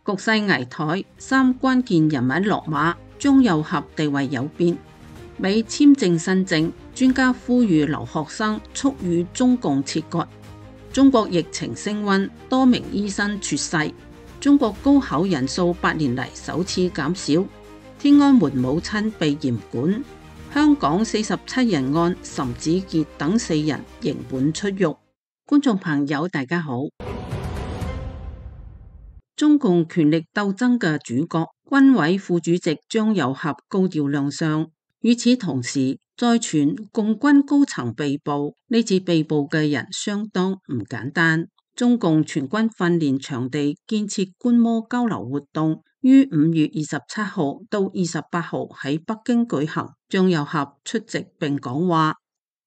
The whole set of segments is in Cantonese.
局勢危殆，三關鍵人物落馬，中右俠地位有變。美簽證新政，專家呼籲留學生速與中共切割。中國疫情升溫，多名醫生猝逝。中國高考人數8年嚟首次減少。天安門母親被嚴管。香港47人案，岑子傑等4人刑滿出獄。觀眾朋友大家好。中共權力鬥爭嘅主角，軍委副主席張又俠高調亮相。與此同時，再傳共軍高層被捕，呢次被捕嘅人相當唔簡單。中共全軍訓練場地建設觀摩交流活動於5月27號到28號喺北京舉行，張又俠出席並講話。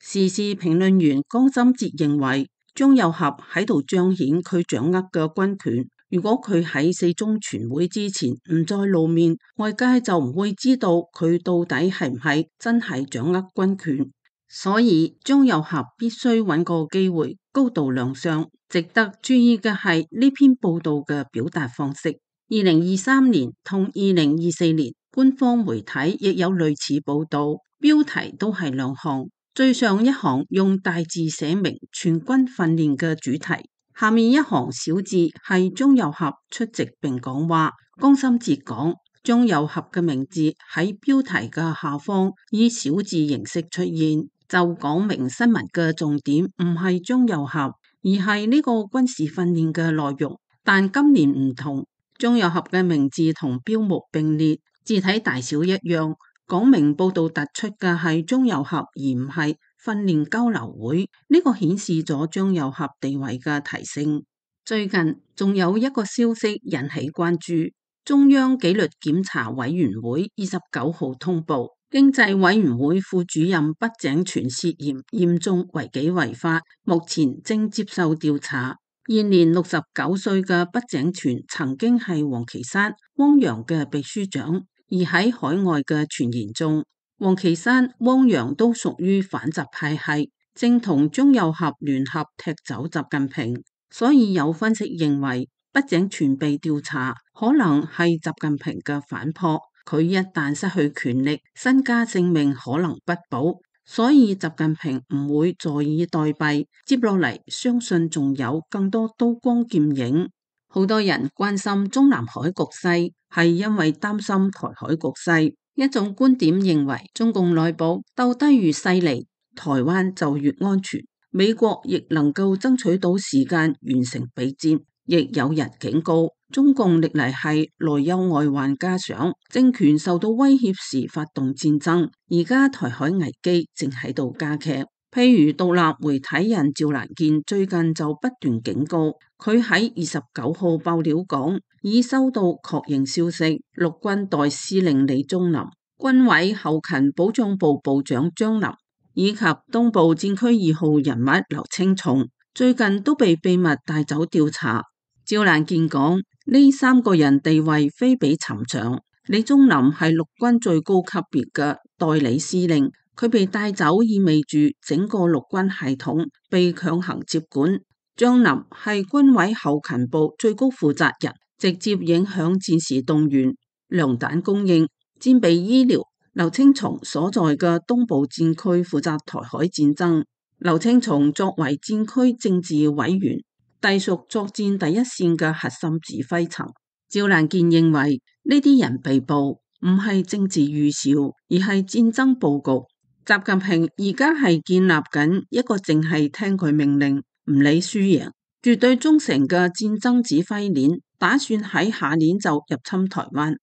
時事評論員江心哲認為，張又俠喺度彰顯佢掌握嘅軍權。如果佢喺4中全會之前唔再露面，外界就唔會知道佢到底係唔係真係掌握軍權。所以張又俠必須揾個機會高度亮相。值得注意嘅係呢篇報道嘅表達方式。2023年同2024年官方媒體亦有類似報道，標題都係兩項。最上一行用大字寫明全軍訓練嘅主題，下面一行小字係張又俠出席並講話。江心哲講，張又俠嘅名字喺標題嘅下方以小字形式出現，就講明新聞嘅重點唔係張又俠，而係呢個軍事訓練嘅內容。但今年唔同，張又俠嘅名字同標目並列，字體大小一樣，講明報道突出嘅係張又俠而唔係訓練交流會。呢個顯示咗張又俠地位嘅提升。最近仲有一個消息引起關注，中央紀律檢查委員會29號通報，經濟委員會副主任畢井泉涉嫌嚴重違紀違法，目前正接受調查。現年69歲嘅畢井泉曾經係王岐山、汪洋嘅秘書長，而喺海外嘅傳言中，王岐山、汪洋都屬於反習派系，正同張又俠聯合踢走習近平。所以有分析認為，畢井泉被調查可能係習近平嘅反撲。佢一旦失去權力，身家性命可能不保。所以習近平唔會坐以待斃，接落嚟相信仲有更多刀光劍影。好多人關心中南海局勢，係因為擔心台海局勢。一種觀點認為，中共內部鬥得越犀利，台灣就越安全。美國亦能夠爭取到時間完成備戰。亦有人警告，中共歷嚟係內憂外患加上，政權受到威脅時發動戰爭。而家台海危機正喺度加劇。譬如獨立媒體人趙蘭健最近就不斷警告，佢喺29號爆料講，已收到確認消息，陸軍代司令李宗霖、軍委後勤保障部部長張林以及東部戰區2號人物劉青松最近都被秘密帶走調查。趙蘭健講，呢3個人地位非比尋常。李宗霖係陸軍最高級別嘅代理司令，佢被帶走意味住整個陸軍系統被強行接管。張林係軍委後勤部最高負責人，直接影響戰時動員、糧彈供應、戰備醫療。劉青松所在嘅東部戰區負責台海戰爭。劉青松作為戰區政治委員，隸屬作戰第一線嘅核心指揮層。趙蘭健認為呢啲人被捕唔係政治預兆，而係戰爭佈局。習近平而家係建立緊一個淨係聽佢命令，唔理輸贏，絕對忠誠嘅戰爭指揮鏈，打算喺下年就入侵台灣。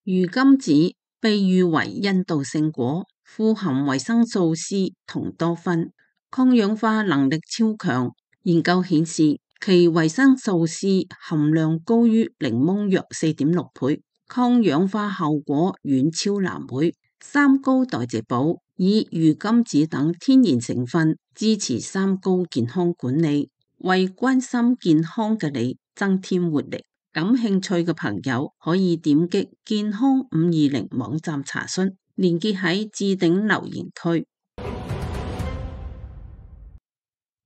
魚甘子被譽為印度聖果，富含維生素 C 同多酚，抗氧化能力超強。研究顯示，其維生素 C 含量高於檸檬約4.6倍，抗氧化效果遠超藍莓。三高代謝寶以魚甘子等天然成分支持三高健康管理，為關心健康嘅你增添活力。感興趣嘅朋友可以點擊健康520網站查詢，連結喺置頂留言區。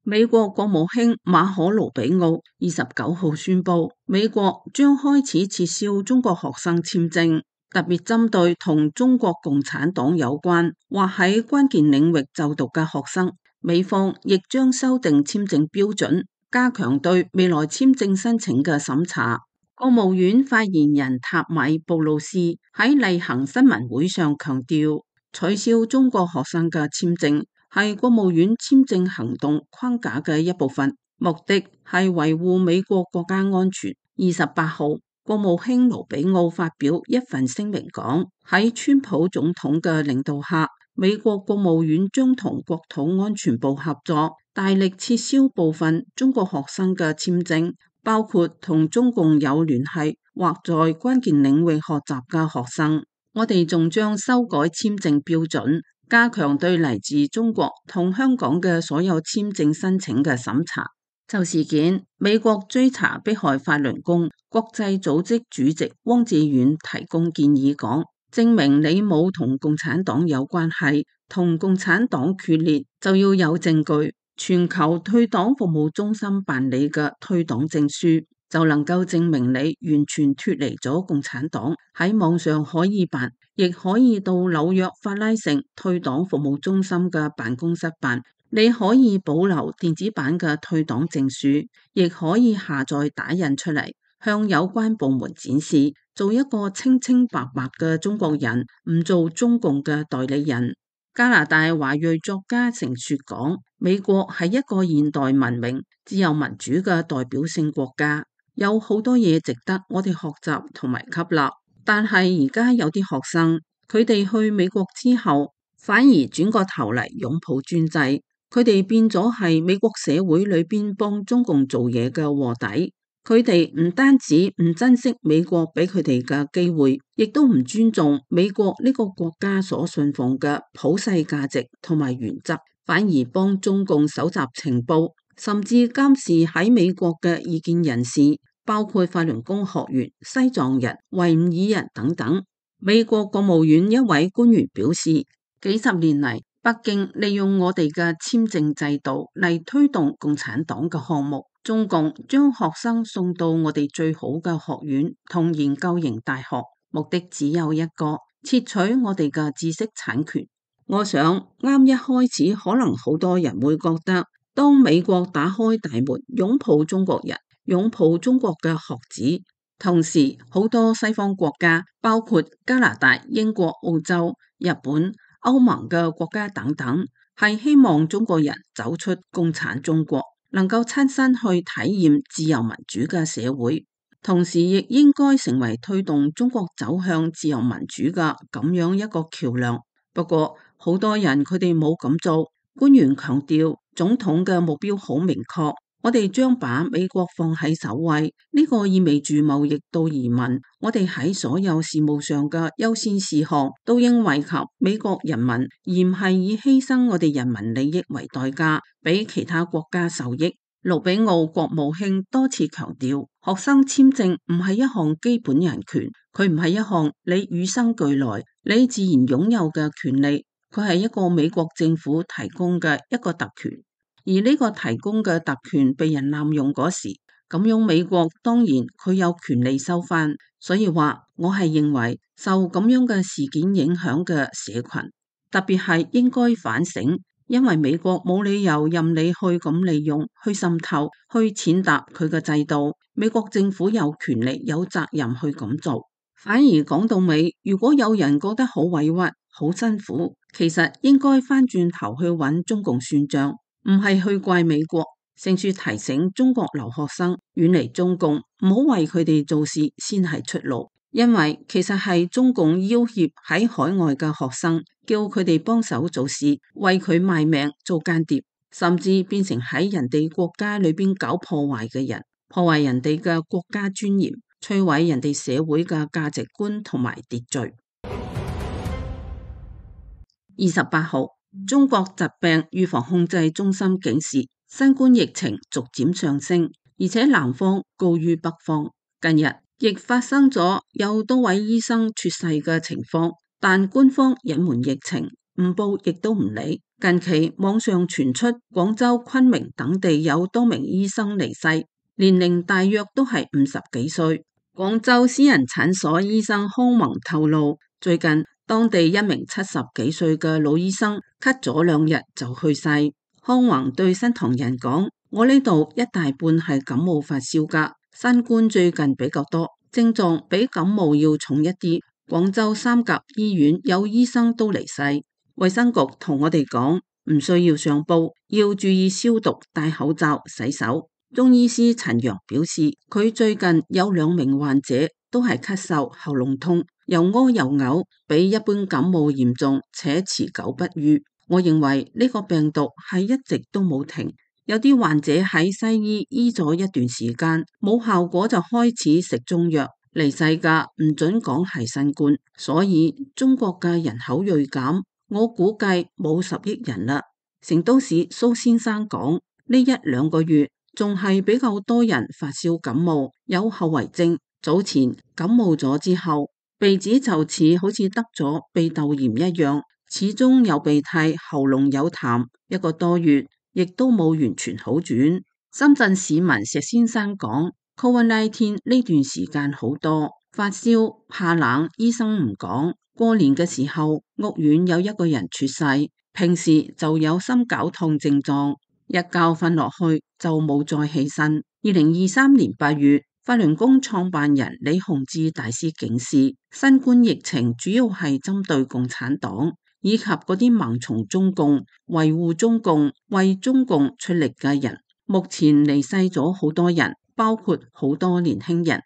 美國國務卿馬可盧比奧29號宣布，美國將開始撤銷中國學生簽證，特別針對同中國共產黨有關或喺關鍵領域就讀嘅學生。美方亦將修訂簽證標準，加強對未來簽證申請嘅審查。國務院發言人塔米布魯斯喺例行新聞會上強調，取消中國學生嘅簽證係國務院簽證行動框架嘅一部分，目的係維護美國國家安全。28號，國務卿盧比奧發表一份聲明講，喺川普總統嘅領導下，美國國務院將同國土安全部合作，大力撤銷部分中國學生嘅簽證，包括同中共有聯繫或在關鍵領域學習嘅學生。我哋仲將修改簽證標準，加強對嚟自中國同香港嘅所有簽證申請嘅審查。就事件，美國追查迫害法輪功國際組織主席汪志遠提供建議講，證明你冇同共產黨有關係，同共產黨決裂就要有證據。全球退黨服務中心辦理嘅退黨證書就能夠證明你完全脫離咗共產黨。喺網上可以辦，亦可以到紐約法拉盛退黨服務中心嘅辦公室辦。你可以保留電子版嘅退黨證書，亦可以下載打印出嚟，向有關部門展示，做一個清清白白嘅中國人，唔做中共嘅代理人。加拿大華裔作家成雪講，美國係一個現代文明、自由民主嘅代表性國家，有好多嘢值得我哋學習同埋吸納。但係而家有啲學生，佢哋去美國之後，反而轉個頭嚟擁抱專制。佢哋變咗係美國社會裏邊幫中共做嘢嘅臥底，佢哋唔單止唔珍惜美國俾佢哋嘅機會，亦都唔尊重美國呢個國家所信奉嘅普世價值同埋原則，反而幫中共搜集情報，甚至監視喺美國嘅異見人士，包括法輪功學員、西藏人、維吾爾人等等。美國國務院一位官員表示，幾十年嚟，北京利用我哋嘅簽證制度嚟推動共產黨嘅項目，中共將學生送到我哋最好嘅學院同研究型大學，目的只有一個，竊取我哋嘅知識產權。我想啱一開始可能好多人會覺得，當美國打開大門擁抱中國人，擁抱中國嘅學子，同時好多西方國家，包括加拿大、英國、澳洲、日本、歐盟嘅國家等等，係希望中國人走出共產中國，能夠親身去體驗自由民主嘅社會，同時亦應該成為推動中國走向自由民主嘅咁樣一個橋樑。不過好多人佢哋冇咁做，官員強調總統嘅目標好明確。我哋將把美國放喺首位，呢個意味住貿易到移民，我哋喺所有事務上嘅優先事項都應惠及美國人民，而唔係以犧牲我哋人民利益為代價，俾其他國家受益。盧比奧國務卿多次強調，學生簽證唔係一項基本人權，佢唔係一項你與生俱來、你自然擁有嘅權利，佢係一個美國政府提供嘅一個特權。而呢個提供嘅特權被人濫用嗰時，咁樣美國當然佢有權利收返。所以話我係認為受咁樣嘅事件影響嘅社群，特別係應該反省，因為美國冇理由任你去咁利用、去滲透、去踐踏佢嘅制度。美國政府有權利、有責任去咁做。反而講到尾，如果有人覺得好委屈、好辛苦，其實應該翻轉頭去揾中共算賬。唔係去怪美國，勝處提醒中國留學生遠離中共，唔好為佢哋做事先係出路。因為其實係中共要挾喺海外嘅學生，叫佢哋幫手做事，為佢賣命做間諜，甚至變成喺人哋國家裏邊搞破壞嘅人，破壞人哋嘅國家尊嚴，摧毀人哋社會嘅價值觀同埋秩序。28號。中國疾病預防控制中心警示，新冠疫情逐漸上升，而且南方高於北方。近日亦發生咗有多位醫生猝逝嘅情況，但官方隱瞞疫情，唔報亦都唔理。近期網上傳出廣州、昆明等地有多名醫生離世，年齡大約都係50幾歲。廣州私人診所醫生康宏透露，最近當地一名70幾歲嘅老醫生咳咗2日就去世。康宏對新唐人講：我呢度一大半係感冒發燒㗎，新冠最近比較多，症狀比感冒要重一啲。廣州3甲醫院有醫生都離世。衛生局同我哋講，唔需要上報，要注意消毒、戴口罩、洗手。中醫師陳陽表示，佢最近有2名患者都係咳嗽、喉嚨痛，又屙又嘔，比一般感冒嚴重且持久不愈。我認為呢個病毒係一直都冇停，有啲患者喺西醫醫咗一段時間，冇效果就開始食中藥。離世㗎唔准講係新冠，所以中國嘅人口銳減，我估計冇10億人啦。成都市蘇先生講，呢1-2個月仲係比較多人發燒感冒，有後遺症。早前感冒咗之後，鼻子就似好似得咗鼻竇炎一樣，始終有鼻涕，喉嚨有痰，1個多月亦都冇完全好轉。深圳市民石先生講，COVID-19 呢段時間好多發燒、怕冷，醫生唔講。過年嘅時候，屋苑有1個人猝逝，平時就有心絞痛症狀，一覺瞓落去就冇再起身。2023年8月，法輪功創辦人李洪志大師警示，新冠疫情主要係針對共產黨以及嗰啲盲從中共、維護中共、為中共出力嘅人。目前離世咗好多人，包括好多年輕人。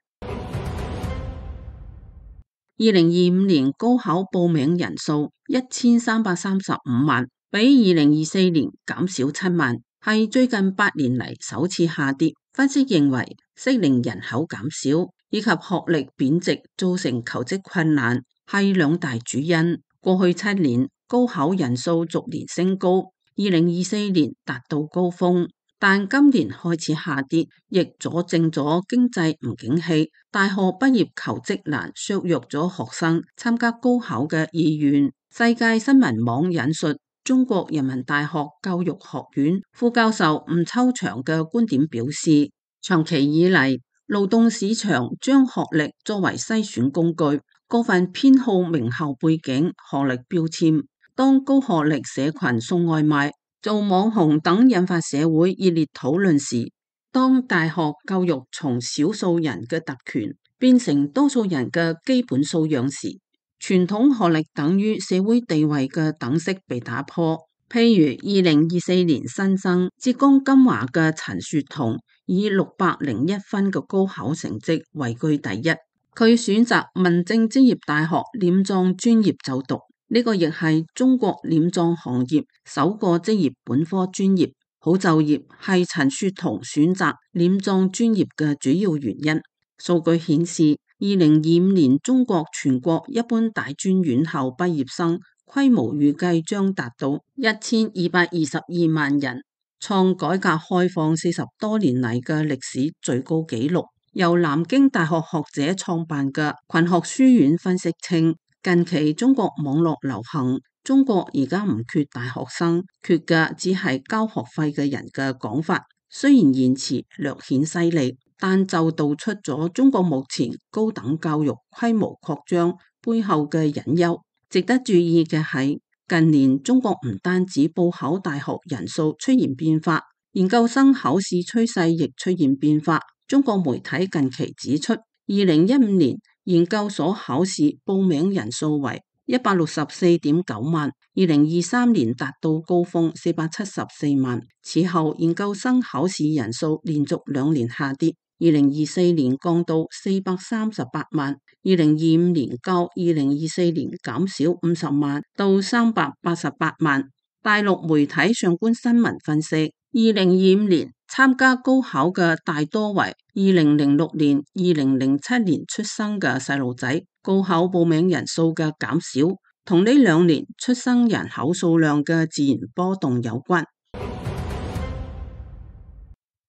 2025年高考報名人數1335萬，比2024年減少7萬，係最近8年嚟首次下跌。分析認為，適齡人口減少以及學歷貶值造成求職困難係2大主因。過去7年高考人數逐年升高，2024年達到高峰，但今年開始下跌，亦佐證咗經濟唔景氣，大學畢業求職難，削弱咗學生參加高考嘅意願。世界新聞網引述中國人民大學教育學院副教授吳秋祥嘅觀點表示，長期以嚟，勞動市場將學歷作為篩選工具，過分偏好名校背景、學歷標籤。當高學歷社群送外賣、做網紅等引發社會熱烈討論時，當大學教育從少數人嘅特權變成多數人嘅基本素養時，傳統學歷等於社會地位嘅等式被打破。譬如2024年新生浙江金華嘅陳雪彤，以601分嘅高考成績位居第一，佢選擇民政專業大學殮葬專業就讀。呢個亦係中國殮葬行業首個職業本科專業，好就業係陳雪彤選擇殮葬專業嘅主要原因。數據顯示，2025年中國全國一般大專院校畢業生規模預計將達到1222萬人，創改革開放40多年嚟嘅歷史最高紀錄。由南京大學學者創辦嘅群學書院分析稱，近期中國網絡流行，中國而家唔缺大學生，缺嘅只係交學費嘅人嘅講法。雖然言辭略顯犀利，但就道出咗中國目前高等教育規模擴張背後嘅隱憂。值得注意嘅係，近年中國唔單止報考大學人數出現變化，研究生考試趨勢亦出現變化。中國媒體近期指出，2015年研究所考試報名人數為164.9萬，2023年達到高峰474萬。此後研究生考試人數連續2年下跌，2024年降到438萬，2025年較2024年減少50萬到388萬。大陸媒體上官新聞分析，2025年參加高考嘅大多為2006年、2007年出生嘅細路仔，高考報名人數嘅減少，同呢2年出生人口數量嘅自然波動有關。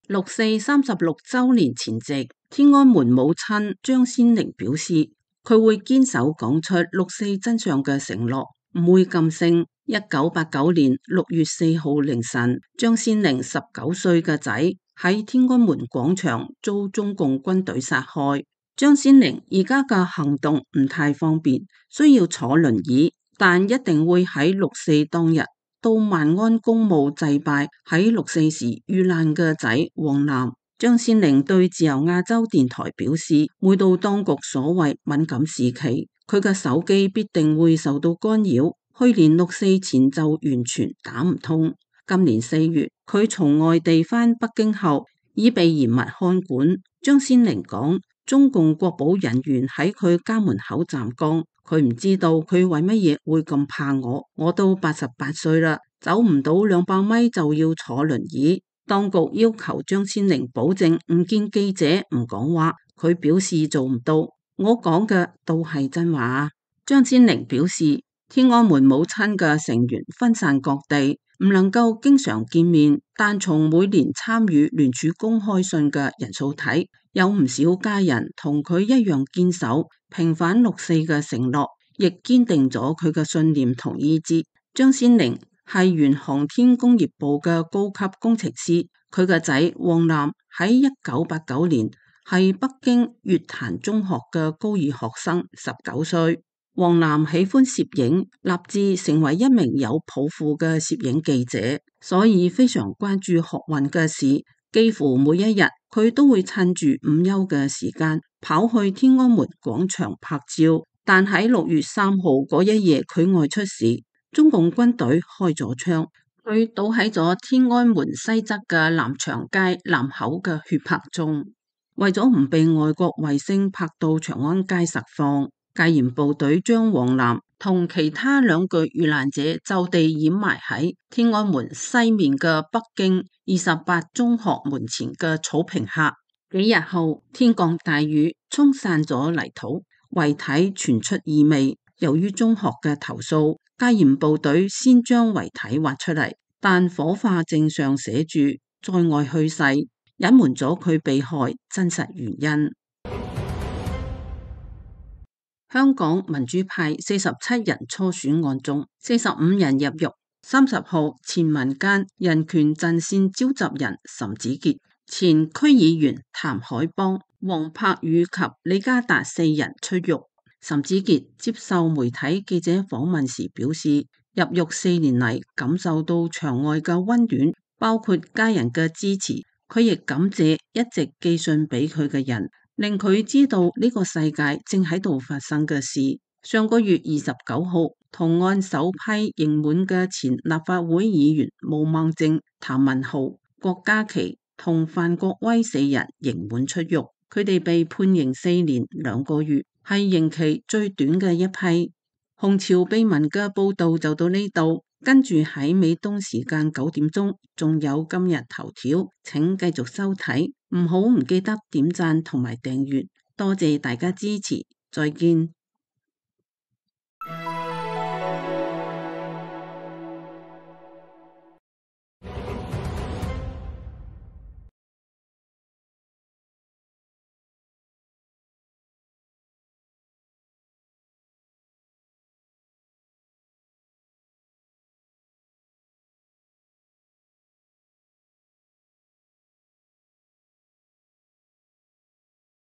6四36週年前夕，天安門母親張先玲表示，佢會堅守講出6四真相嘅承諾，唔會噤聲。1989年6月4號凌晨，張先玲19歲嘅仔喺天安門廣場遭中共軍隊殺害。張先玲而家嘅行動唔太方便，需要坐輪椅，但一定會喺6.4當日到萬安公墓祭拜喺6.4時遇難嘅仔王楠。張先玲對自由亞洲電台表示，每到當局所謂敏感時期，佢嘅手機必定會受到干擾。去年6.4前就完全打唔通。今年4月，佢從外地返北京後，已被嚴密看管。張先玲講，中共國保人員喺佢家門口站崗，佢唔知道佢為乜嘢會咁怕我。我都88歲啦，走唔到200米就要坐輪椅。當局要求張先玲保證唔見記者唔講話，佢表示做唔到。我講嘅都係真話。張先玲表示，天安門母親嘅成員分散各地，唔能夠經常見面，但從每年參與聯署公開信嘅人數睇，有唔少家人同佢一樣堅守平反6.4嘅承諾，亦堅定咗佢嘅信念同意志。張先玲係原航天工業部嘅高級工程師，佢嘅仔王楠喺1989年係北京月壇中學嘅高二學生，19歲。王楠喜歡攝影，立志成為一名有抱負嘅攝影記者，所以非常關注學運嘅事。幾乎每一日，佢都會趁住午休嘅時間跑去天安門廣場拍照。但喺6月3號嗰一夜，佢外出時，中共軍隊開咗槍，佢倒喺咗天安門西側嘅南長街南口嘅血泊中。為咗唔被外國衛星拍到長安街實況，戒嚴部隊將王楠同其他2具遇難者就地掩埋喺天安門西面嘅北京28中學門前嘅草坪下。幾日後，天降大雨，沖散咗泥土，遺體傳出異味。由於中學嘅投訴，戒嚴部隊先將遺體挖出嚟，但火化證上寫住在外去世，隱瞞咗佢被害真實原因。香港民主派47人初選案中，45人入獄。30號，前民間人權陣線召集人岑子傑、前區議員譚凱邦、黃柏宇及李家達4人出獄。岑子傑接受媒體記者訪問時表示，入獄4年嚟感受到場外嘅溫暖，包括家人嘅支持。佢亦感謝一直寄信俾佢嘅人，令佢知道呢個世界正喺度發生嘅事。上個月29號，同案首批刑滿嘅前立法會議員毛孟靜、譚文豪、郭家麒同范國威4人刑滿出獄，佢哋被判刑4年2個月，係刑期最短嘅一批。紅潮秘聞嘅報道就到呢度，跟住喺美東時間9點鐘，仲有今日頭條，請繼續收睇，唔記得點讚同埋訂閱，多謝大家支持，再見。